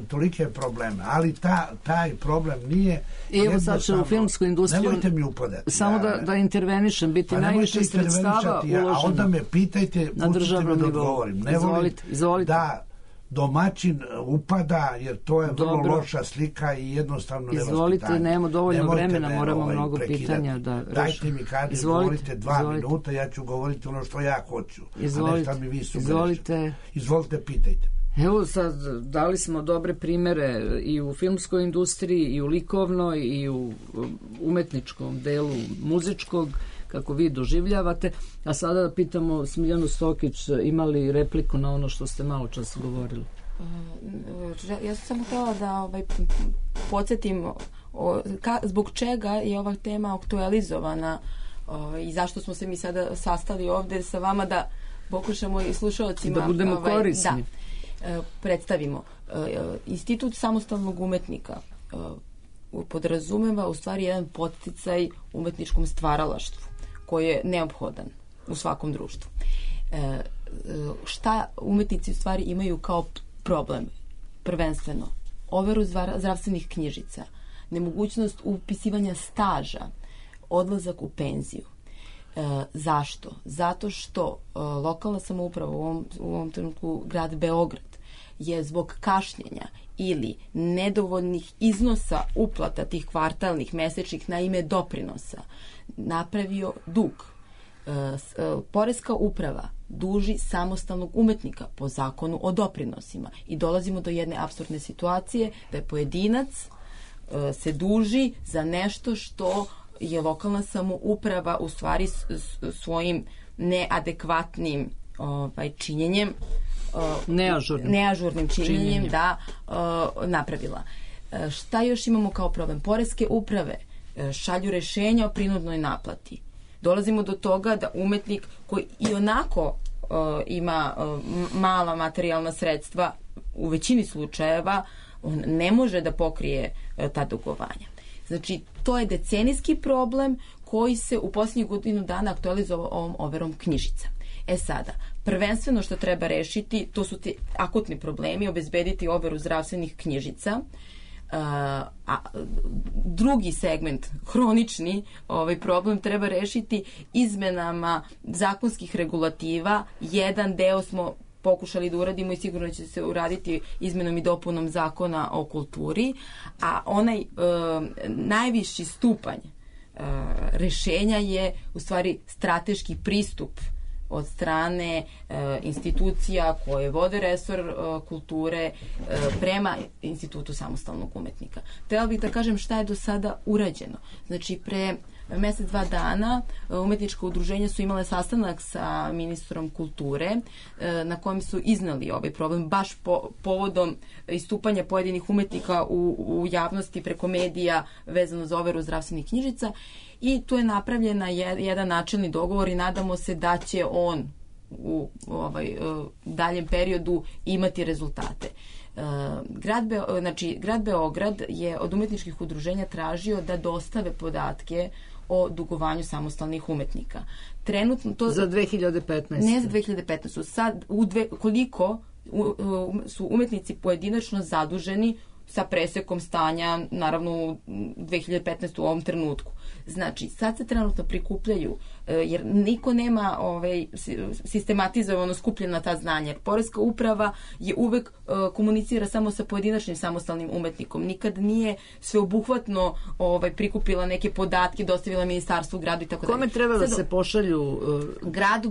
tolike probleme, ali taj problem nije jednostavno. Evo sad će u filmsku industriju, nemojte mi upadati. Samo da intervenišem, biti najviše sredstava uloženo. A onda me pitajte, pustite me da odgovorim. Ne volim da domaćin upada, jer to je vrlo loša slika i jednostavno nevaspitanje. Izvolite, nemamo dovoljno vremena, moramo mnogo pitanja da rešimo. Dajte mi kad govorite 2 minuta, ja ću govoriti ono što ja hoću, a ne šta mi vi sugerujete. Izvolite, pitajte. Evo sad, dali smo dobre primere i u filmskoj industriji, i u likovnoj, i u umetničkom delu muzičkog, kako vi doživljavate. A sada da pitamo Smiljanu Stokić, ima li repliku na ono što ste malo čas govorili? Ja sam samo htjela da podsjetim zbog čega je ova tema aktualizovana i zašto smo se mi sada sastali ovde sa vama da pokušamo i slušalcima da budemo korisni. Predstavimo. Institut samostalnog umetnika podrazumeva u stvari jedan podsticaj umetničkom stvaralaštvu koji je neophodan u svakom društvu. Šta umetnici u stvari imaju kao problem? Prvenstveno, overu zdravstvenih knjižica, nemogućnost upisivanja staža, odlazak u penziju. Zašto? Zato što lokalna samouprava, u ovom trenutku grad Beograd, je zbog kašnjenja ili nedovoljnih iznosa uplata tih kvartalnih, mesečnih na ime doprinosa napravio dug. Poreska uprava duži samostalnog umetnika po zakonu o doprinosima i dolazimo do jedne apsurdne situacije da je pojedinac se duži za nešto što je lokalna samouprava u stvari svojim neadekvatnim činjenjem, neažurnim činjenjem da napravila. Šta još imamo kao problem? Poreske uprave šalju rešenja o prinudnoj naplati. Dolazimo do toga da umetnik koji i onako ima mala materijalna sredstva u većini slučajeva on ne može da pokrije ta dugovanja. Znači, to je decenijski problem koji se u posljednjih godinu dana aktualizovao ovom overom knjižica. Sada, prvenstveno što treba rešiti, to su ti akutni problemi, obezbediti overu zdravstvenih knjižica. A drugi segment, hronični problem, treba rešiti izmenama zakonskih regulativa. Jedan deo smo pokušali da uradimo i sigurno će se uraditi izmenom i dopunom zakona o kulturi, a onaj najviši stupanj rešenja je u stvari strateški pristup od strane institucija koje vode resor kulture prema Institutu samostalnog umetnika. Trebala bih da kažem šta je do sada urađeno. Znači, pre mesec, 2 dana umetnička udruženja su imale sastanak sa ministrom kulture na kojem su iznali ovaj problem baš povodom istupanja pojedinih umetnika u javnosti preko medija vezano za overu zdravstvenih knjižica i tu je napravljena jedan načelni dogovor i nadamo se da će on u daljem periodu imati rezultate. Grad Beograd je od umetničkih udruženja tražio da dostave podatke o dugovanju samostalnih umetnika. Trenutno to za 2015. Ne za 2015. Sad koliko su umetnici pojedinačno zaduženi sa presekom stanja, naravno u 2015. u ovom trenutku. Znači, sad se trenutno prikupljaju, jer niko nema sistematizovano skupljena ta znanja. Jer Poreska uprava je uvek komunicira samo sa pojedinačnim samostalnim umetnikom. Nikad nije sveobuhvatno prikupila neke podatke, dostavila ministarstvu, gradu i tako dalje. Kome treba da se pošalju? Grad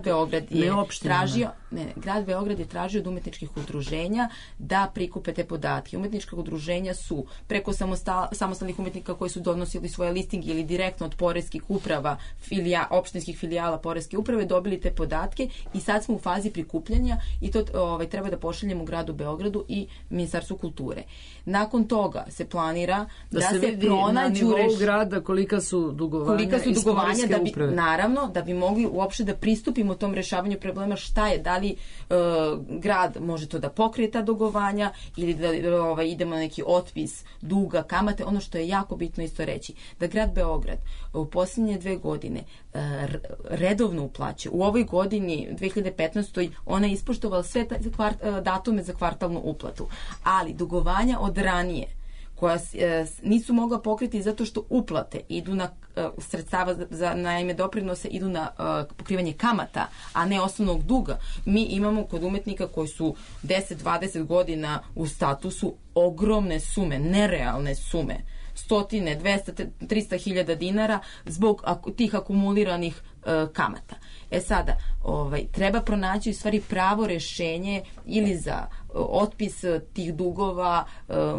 Beograd je tražio, Grad Beograd je tražio od umetničkih udruženja da prikupe te podatke. Umetnička udruženja su preko samostalnih umetnika koji su donosili svoje listinge ili direktno od poreskih uprava, opštinskih filijala Poreske uprave dobili te podatke i sad smo u fazi prikupljanja i to treba da pošaljemo gradu Beogradu i Ministarstvu kulture. Nakon toga se planira da se pronađu na nivou grada kolika su dugovanja iz Poreske uprave. Naravno, da bi mogli uopšte da pristupimo tom rešavanju problema šta je, da li grad može to da pokrije ta dugovanja ili da idemo na neki otpis duga, kamate. Ono što je jako bitno isto reći, da grad Beograd u posljednje 2 godine redovno uplaća. U ovoj godini, 2015. ona je ispoštovala sve datume za kvartalnu uplatu. Ali dugovanja od ranije koja nisu mogla pokriti zato što uplate idu na sredstava na ime doprinose idu na pokrivanje kamata, a ne osnovnog duga. Mi imamo kod umetnika koji su 10-20 godina u statusu ogromne sume, nerealne sume. 100, 200, 300 hiljada dinara zbog tih akumuliranih kamata. Sada, treba pronaći u stvari pravo rešenje ili za otpis tih dugova,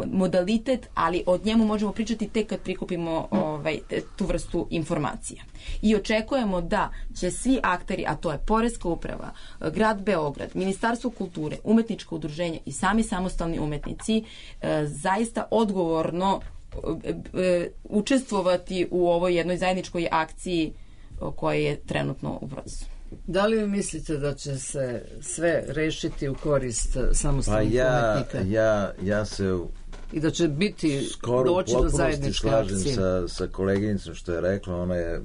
modalitet, ali od njemu možemo pričati tek kad prikupimo tu vrstu informacija. I očekujemo da će svi akteri, a to je Poreska uprava, grad Beograd, Ministarstvo kulture, umetničko udruženje i sami samostalni umetnici zaista odgovorno učestvovati u ovoj jednoj zajedničkoj akciji koja je trenutno u procesu. Da li vi mislite da će se sve rešiti u korist samostalnih umetnika? Ja se i da će biti doći do zajedničke akcije. Skoro slažem sa koleginicom što je rekla, ona je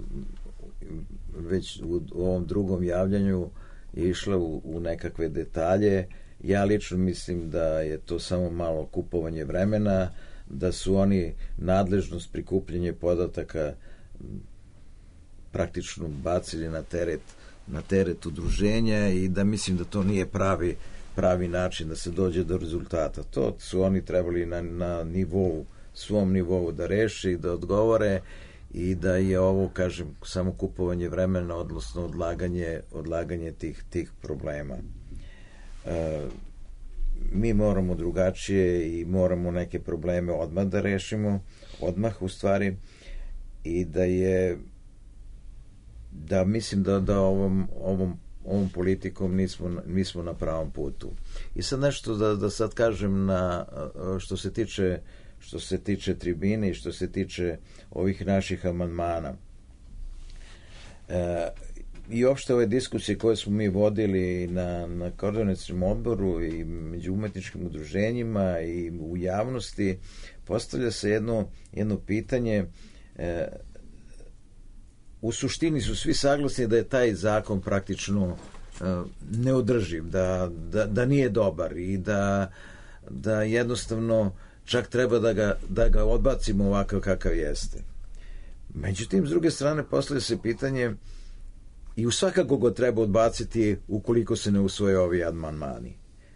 već u ovom drugom javljanju išla u nekakve detalje. Ja lično mislim da je to samo malo kupovanje vremena, da su oni nadležnost prikupljanja podataka praktično bacili na teret udruženja i da mislim da to nije pravi način da se dođe do rezultata. To su oni trebali na svom nivou da reši, da odgovore i da je ovo, kažem, samo kupovanje vremena, odnosno odlaganje tih problema. Mi moramo drugačije i moramo neke probleme odmah da rešimo, odmah u stvari, i da mislim da ovom politikom nismo na pravom putu. I sad nešto da sad kažem što se tiče tribine i što se tiče ovih naših amandmana. i opšte ove diskusije koje smo mi vodili na koordinacionom odboru i među umetničkim udruženjima i u javnosti, postavlja se jedno pitanje. U suštini su svi saglasni da je taj zakon praktično neodrživ, da nije dobar i da jednostavno čak treba da ga odbacimo ovakav kakav jeste. Međutim, s druge strane, postavlja se pitanje i u svakako ga treba odbaciti ukoliko se ne usvoje ovi amandmani.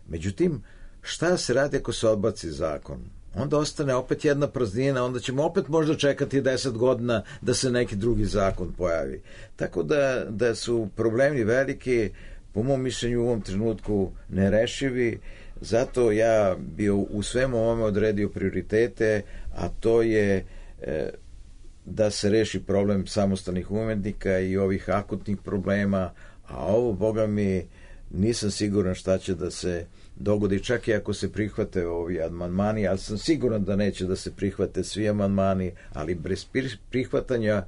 Međutim, šta se radi ako se odbaci zakon? Onda ostane opet jedna praznina, onda ćemo opet možda čekati 10 godina da se neki drugi zakon pojavi. Tako da su problemi veliki, po mom mišljenju u ovom trenutku nerešivi, zato ja bi u svemu ovome odredio prioritete, a to je da se reši problem samostalnih umetnika i ovih akutnih problema, a ovo, boga mi, nisam siguran šta će da se dogodi, čak i ako se prihvate ovi amandmani, ali sam siguran da neće da se prihvate svi amandmani, ali bez prihvatanja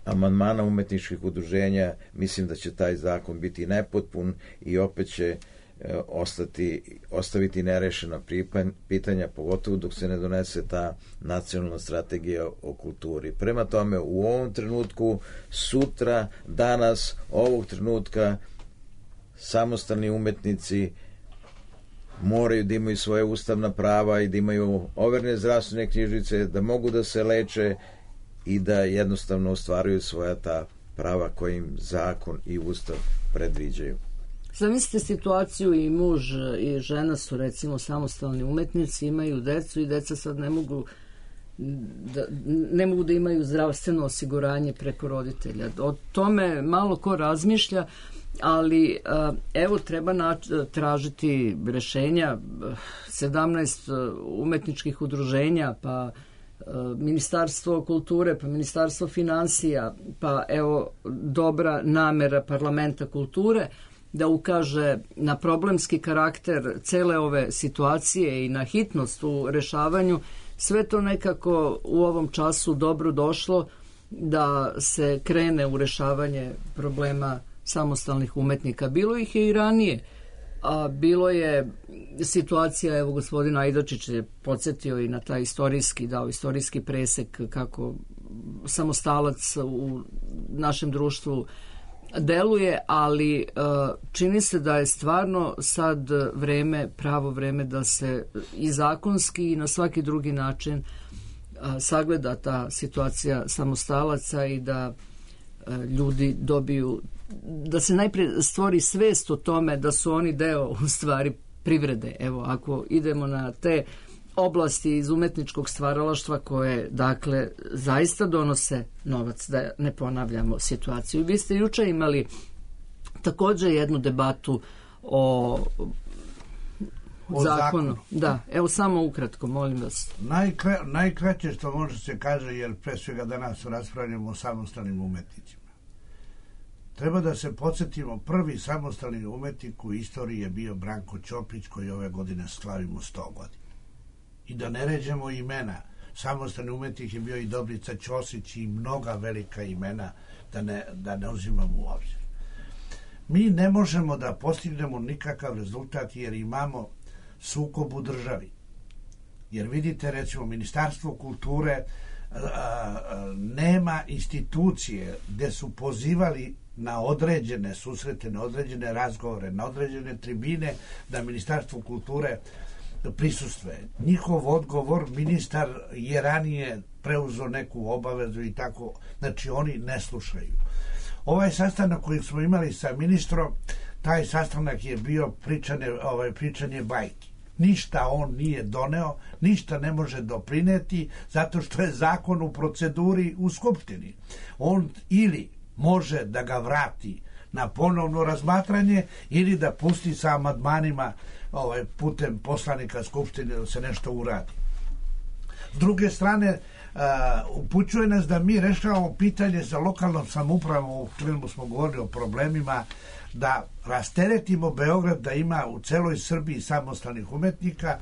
amandmana umetničkih udruženja mislim da će taj zakon biti nepotpun i opet će ostaviti nerešena pitanja, pogotovo dok se ne donese ta nacionalna strategija o kulturi. Prema tome, u ovom trenutku, sutra, danas, ovog trenutka, samostalni umetnici moraju da imaju svoje ustavna prava i da imaju overne zdravstvene knjižice, da mogu da se leče i da jednostavno ostvaruju svoja ta prava koje im zakon i ustav predviđaju. Zamislite situaciju, i muž i žena su recimo samostalni umetnici, imaju decu i deca sad ne mogu da imaju zdravstveno osiguranje preko roditelja. O tome malo ko razmišlja, ali evo treba tražiti rešenja. 17 umetničkih udruženja, pa Ministarstvo kulture, pa Ministarstvo finansija, pa evo dobra namera Parlamenta kulture da ukaže na problemski karakter cele ove situacije i na hitnost u rešavanju. Sve to nekako u ovom času dobro došlo da se krene u rešavanje problema samostalnih umetnika. Bilo ih je i ranije, a bilo je situacija, evo gospodin Ajdočić je podsjetio i na taj istorijski presek kako samostalac u našem društvu deluje, ali čini se da je stvarno sad pravo vreme da se i zakonski i na svaki drugi način sagleda ta situacija samostalaca i da ljudi dobiju, da se najprije stvori svest o tome da su oni deo u stvari privrede. Evo, ako idemo na te oblasti iz umetničkog stvaralaštva koje, dakle, zaista donose novac, da ne ponavljamo situaciju. Vi ste juče imali također jednu debatu o zakonu. Da, evo samo ukratko, molim vas. Najkraće što može se kaže, jer pre svega danas raspravljamo o samostalnim umetnicima. Treba da se podsjetimo, prvi samostalni umetnik u istoriji je bio Branko Ćopić, koji ove godine slavimo 100 godina. I da ne ređemo imena, samostalni umetnik je bio i Dobrica Ćosić i mnoga velika imena, da ne uzimamo u obzir. Mi ne možemo da postignemo nikakav rezultat jer imamo sukob u državi. Jer vidite, recimo, Ministarstvo kulture nema institucije gde su pozivali na određene susrete, na određene razgovore, na određene tribine, da Ministarstvo kulture prisustvuje. Njihov odgovor, ministar je ranije preuzeo neku obavezu i tako, znači oni ne slušaju. Ovaj sastanak koji smo imali sa ministrom, taj sastanak je bio pričanje bajki. Ništa on nije doneo, ništa ne može doprineti, zato što je zakon u proceduri u Skupštini. On ili može da ga vrati na ponovno razmatranje ili da pusti sa amandmanima putem poslanika Skupštine da se nešto uradi. S druge strane, upućuje nas da mi rešavamo pitanje za lokalnom samoupravom, u filmu smo govorili o problemima da rasteretimo Beograd, da ima u celoj Srbiji samostalnih umetnika.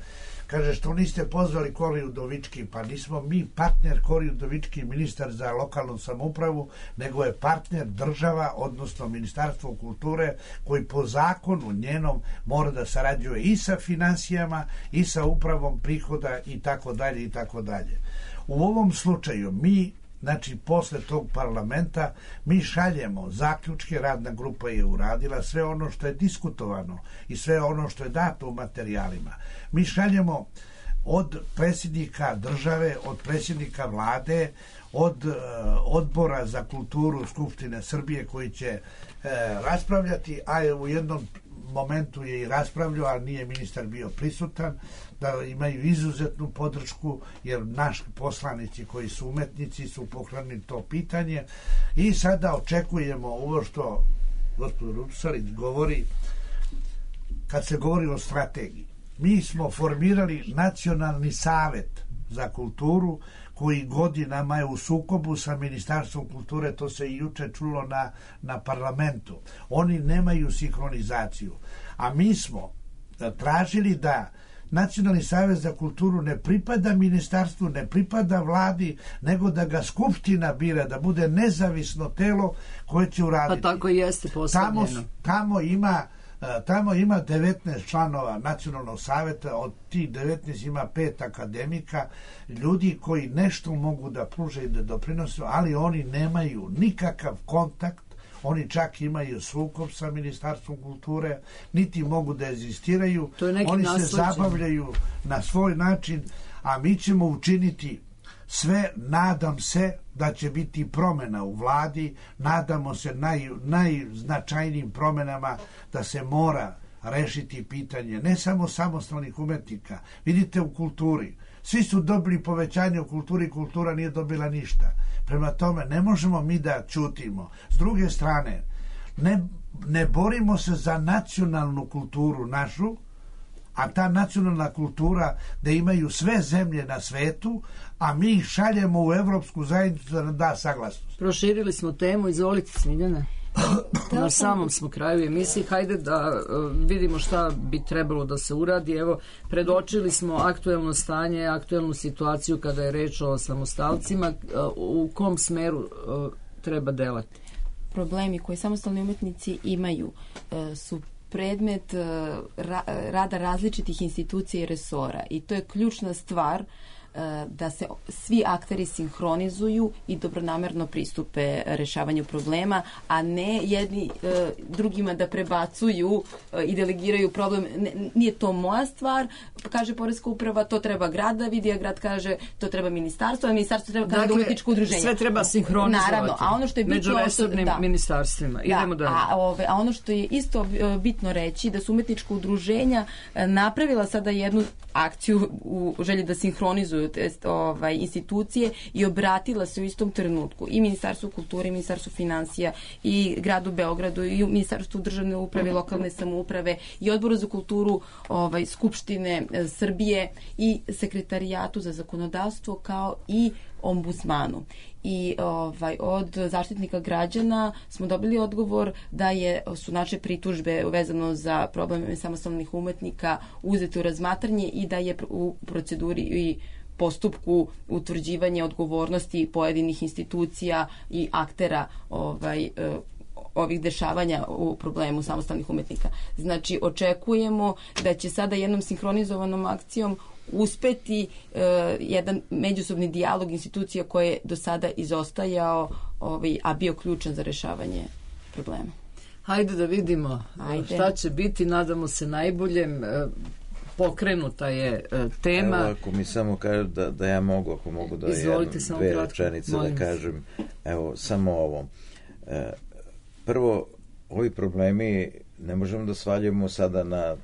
Kaže, što niste pozvali Kori Udovički? Pa nismo mi partner Kori Udovički, ministar za lokalnu samoupravu, nego je partner država, odnosno Ministarstvo kulture, koji po zakonu njenom mora da sarađuje i sa finansijama i sa upravom prihoda i tako dalje i tako dalje. U ovom slučaju mi, znači posle tog parlamenta, mi šaljemo zaključke, radna grupa je uradila sve ono što je diskutovano i sve ono što je dato u materijalima. Mi šaljemo od predsjednika države, od predsjednika vlade, od odbora za kulturu Skupštine Srbije koji će raspravljati, a u jednom momentu je i raspravljao, ali nije ministar bio prisutan, da imaju izuzetnu podršku, jer naši poslanici koji su umetnici su pokrenuli to pitanje i sada očekujemo ovo što gospodin Rupsarić govori kad se govori o strategiji. Mi smo formirali Nacionalni savet za kulturu koji godinama je u sukobu sa Ministarstvom kulture, to se i juče čulo na parlamentu. Oni nemaju sinhronizaciju. A mi smo tražili da Nacionalni savet za kulturu ne pripada ministarstvu, ne pripada vladi, nego da ga Skupština bira, da bude nezavisno telo koje će uraditi. Pa tako i jeste postavljeno. Tamo ima 19 članova Nacionalnog saveta, od tih 19 ima 5 akademika, ljudi koji nešto mogu da pruže i da doprinose, ali oni nemaju nikakav kontakt, oni čak imaju sukob sa Ministarstvom kulture, niti mogu da egzistiraju, oni se zabavljaju na svoj način, a mi ćemo učiniti sve, nadam se da će biti promjena u vladi, nadamo se najznačajnijim promjenama da se mora rešiti pitanje ne samo samostalnih umetnika. Vidite u kulturi, svi su dobili povećanje u kulturi, kultura nije dobila ništa. Prema tome, ne možemo mi da ćutimo. S druge strane, ne borimo se za nacionalnu kulturu našu, a ta nacionalna kultura da imaju sve zemlje na svetu, a mi ih šaljemo u Evropsku zajednicu da nam da saglasnost. Proširili smo temu, izvolite Smiljana. Na samom smo kraju emisije, hajde da vidimo šta bi trebalo da se uradi. Evo, predočili smo aktuelno stanje, aktuelnu situaciju kada je reč o samostalcima. U kom smeru treba delati? Problemi koje samostalni umetnici imaju su predmet rada različitih institucija i resora i to je ključna stvar da se svi akteri sinhronizuju i dobronamerno pristupe rešavanju problema, a ne jedni drugima da prebacuju i delegiraju problem. Nije to moja stvar, kaže Poreska uprava, to treba grad da vidi, a grad kaže to treba ministarstvo, a ministarstvo treba kaže umetničko udruženje. Sve treba sinhronizovati. Naravno, a ono što je bitno među resornim ministarstvima. Idemo dalje. A ono što je isto bitno reći, da su umetnička udruženja napravila sada jednu akciju u želji da sinhronizuju institucije i obratila se u istom trenutku i Ministarstvu kulture, i Ministarstvu finansija, i gradu Beogradu, i Ministarstvu državne uprave, lokalne samouprave, i Odboru za kulturu Skupštine Srbije, i Sekretarijatu za zakonodavstvo, kao i ombudsmanu. I od zaštitnika građana smo dobili odgovor da su naše pritužbe vezano za probleme samostalnih umetnika uzete u razmatranje i da je u proceduri i postupku utvrđivanja odgovornosti pojedinih institucija i aktera ovih dešavanja u problemu samostalnih umetnika. Znači, očekujemo da će sada jednom sinhronizovanom akcijom uspeti jedan međusobni dijalog institucija koje je do sada izostajao, a bio ključan za rešavanje problema. Hajde da vidimo šta će biti, nadamo se najboljem. Pokrenuta je tema. Evo, ako mi samo kažu da ja mogu, ako mogu da dve rečenice da kažem, evo, samo ovo. Prvo, ovi problemi ne možemo da svaljujemo sada na...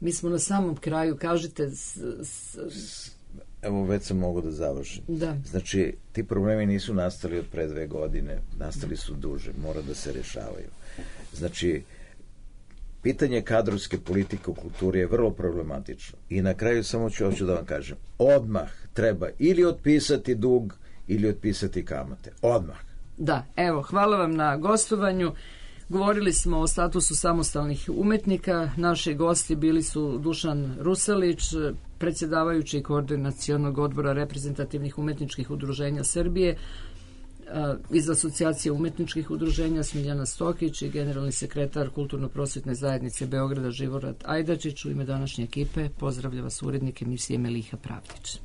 Mi smo na samom kraju, kažite... Evo, već sam mogu da završim. Da. Znači, ti problemi nisu nastali od pre 2 godine, nastali su duže, mora da se rešavaju. Znači, pitanje kadrovske politike u kulturi je vrlo problematično. I na kraju samo hoću da vam kažem, odmah treba ili otpisati dug ili otpisati kamate. Odmah. Da, evo, hvala vam na gostovanju. Govorili smo o statusu samostalnih umetnika. Naši gosti bili su Dušan Rusalić, predsjedavajući Koordinacionog odbora reprezentativnih umetničkih udruženja Srbije, iz Asocijacije umetničkih udruženja Smiljana Stokić i generalni sekretar Kulturno-prosvetne zajednice Beograda Živorad Ajdačić. U ime današnje ekipe pozdravlja vas urednik emisije Meliha Pravdić.